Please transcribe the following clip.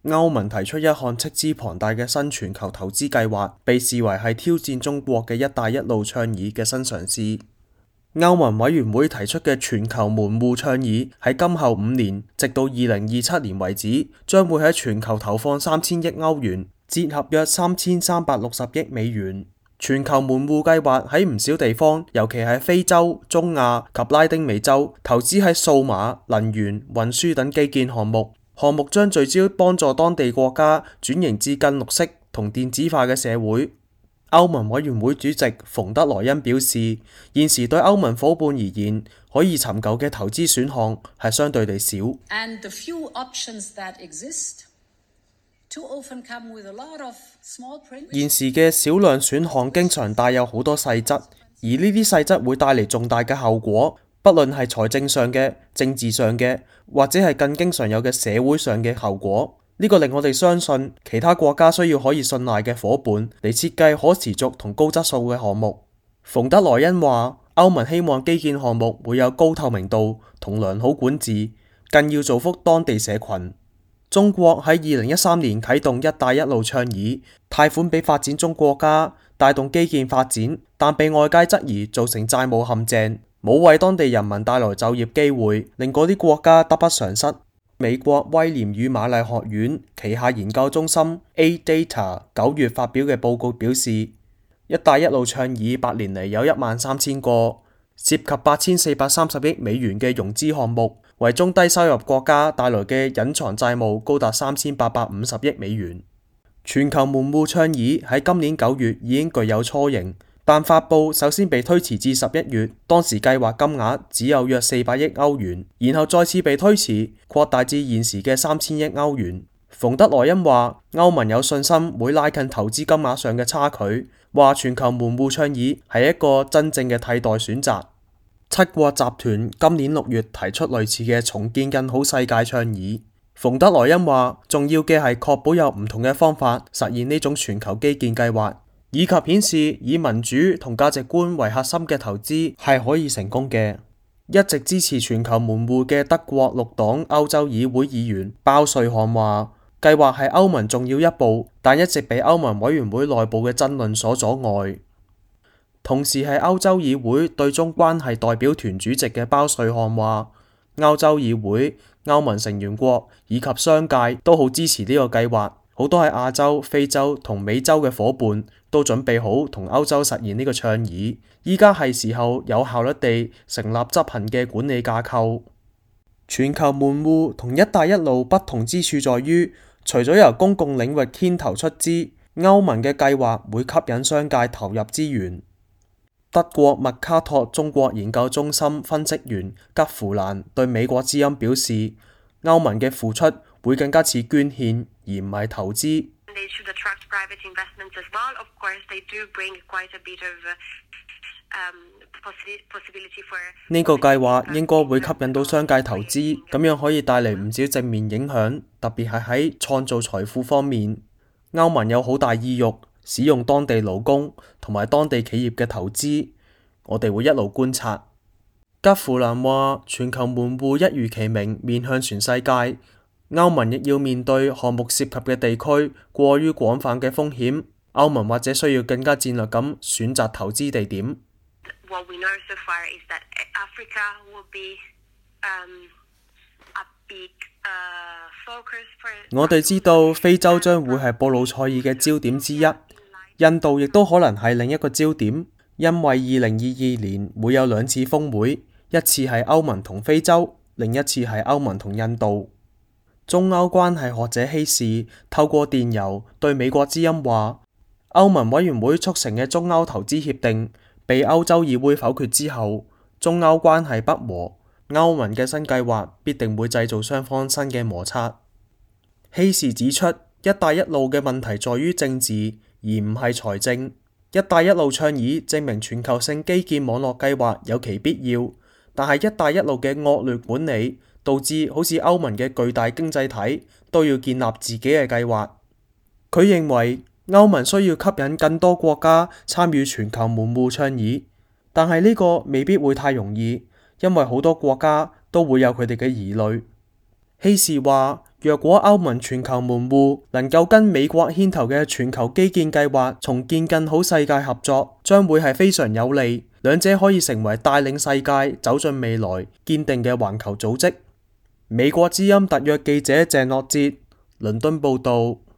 歐盟提出一項斥資龐大嘅新全球投資計劃，被視為係挑戰中國嘅「一帶一路」倡議嘅新嘗試。歐盟委員會提出嘅全球門戶倡議喺今後5年，直到2027年為止，將會喺全球投放3000億歐元，折合約3360億美元。全球門戶計劃喺唔少地方，尤其係非洲、中亞及拉丁美洲，投資喺數碼、能源、運輸等基建項目。項目將聚焦幫助當地國家轉型至更綠色同電子化嘅社會。歐盟委員會主席馮德萊恩表示，現時對歐盟夥伴而言，可以尋求嘅投資選項係相對地少。現時嘅少量選項經常帶有好多細則，而呢啲細則會帶嚟重大嘅後果，不論係財政上嘅、政治上嘅，或者係更經常有嘅社會上嘅後果。呢個令我哋相信，其他國家需要可以信賴嘅夥伴嚟設計可持續同高質素嘅項目。馮德萊恩話，歐盟希望基建項目會有高透明度同良好管治，更要造福當地社群。中國喺2013年啟動「一帶一路」倡議，貸款俾發展中國家，帶動基建發展，但被外界質疑造成債務陷阱，冇為當地人民帶來就業機會，令嗰啲國家得不償失。美國威廉與瑪麗學院旗下研究中心 A-Data 9月發表嘅報告表示，一帶一路倡議8年嚟有13000個，涉及8430億美元嘅融資項目，為中低收入國家帶來嘅隱藏債務高達3850億美元。全球門戶倡議喺今年9月已經具有雛形，但發佈首先被推遲至11月，當時計劃金額只有約400億歐元，然後再次被推遲，擴大至現時嘅3000億歐元。馮德萊恩話，歐盟有信心會拉近投資金額上嘅差距，話全球門戶倡議係一個真正嘅替代選擇。七國集團今年6月提出類似嘅重建更好世界倡議。馮德萊恩話，重要嘅係確保有唔同嘅方法實現呢種全球基建計劃，以及顯示以民主同價值觀為核心嘅投資係可以成功嘅。一直支持全球門戶嘅德國綠黨歐洲議會議員包瑞漢話，計劃係歐盟重要一步，但一直被歐盟委員會內部嘅爭論所阻礙。同時係歐洲議會對中關係代表團主席嘅包瑞漢話，歐洲議會、歐盟成員國以及商界都好支持呢個計劃，好多喺亞洲、非洲同美洲嘅夥伴都準備好同歐洲實現呢個倡議。依家係時候有效率地成立執行嘅管理架構。全球門戶同一帶一路不同之處在於，除咗由公共領域牽頭出資，歐盟嘅計劃會吸引商界投入資源。德國麥卡托中國研究中心分析員吉芙蘭對美國之音表示，歐盟嘅付出會更加似捐獻而唔係投資。呢個計劃應該會吸引到商界投資，咁樣可以帶嚟唔少正面影響，特別係喺創造財富方面。歐盟有好大意欲使用當地勞工同埋當地企業嘅投資，我哋會一路觀察。吉芙蘭話，全球門戶一如其名，面向全世界。歐盟亦要面對項目涉及嘅地區過於廣泛嘅風險，歐盟或者需要更加戰略咁選擇投資地點。我哋知道非洲將會係布魯塞爾嘅焦點之一，印度亦都可能係另一個焦點，因為2022年會有2次峰會，一次係歐盟同非洲，另一次係歐盟同印度。中歐關係學者希士透過電郵對美國之音話，歐盟委員會促成嘅中歐投資協定被歐洲議會否決之後，中歐關係不和，歐盟嘅新計劃必定會製造雙方新嘅摩擦。希士指出，一帶一路嘅問題在於政治，而唔係財政。一帶一路倡議證明全球性基建網絡計劃有其必要，但係一帶一路嘅惡劣管理導致好似歐盟嘅巨大經濟體都要建立自己嘅計劃。佢認為歐盟需要吸引更多國家參與全球門戶倡議，但係呢個未必會太容易，因為好多國家都會有佢哋嘅疑慮。希士話，若果歐盟全球門戶能夠跟美國牽頭嘅全球基建計劃重建更好世界合作，將會係非常有利，兩者可以成為帶領世界走進未來堅定嘅環球組織。美國之音特約記者鄭樂哲，倫敦報道。